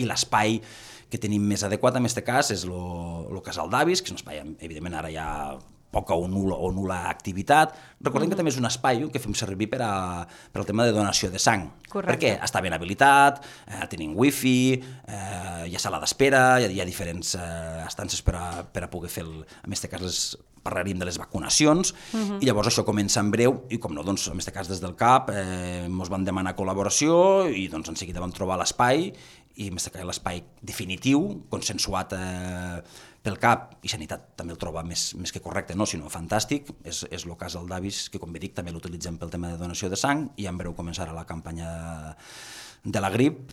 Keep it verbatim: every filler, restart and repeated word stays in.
i l'espai que tenim més adequat en aquest cas és el casal d'avis, que és un espai, evidentment, ara ja poca o nul·la, o nul·la activitat. Recordem uh-huh. que també és un espai que fem servir per, a, per al tema de donació de sang. Correcte. Perquè està ben habilitat, eh, tenim wifi, eh, hi ha sala d'espera, hi ha, hi ha diferents eh, estances per a, per a poder fer, el, en aquest cas les, parlaríem de les vacunacions, uh-huh. i llavors això comença en breu, i com no, doncs, en aquest cas des del C A P eh, ens van demanar col·laboració, i doncs en seguida vam trobar l'espai, i en aquest cas l'espai definitiu, consensuat eh, pel C A P, i Sanitat també el troba més, més que correcte, no, sinó fantàstic, és, és el casal d'avis, que com bé dic també l'utilitzem pel tema de donació de sang, i en breu començarà la campanya de la grip,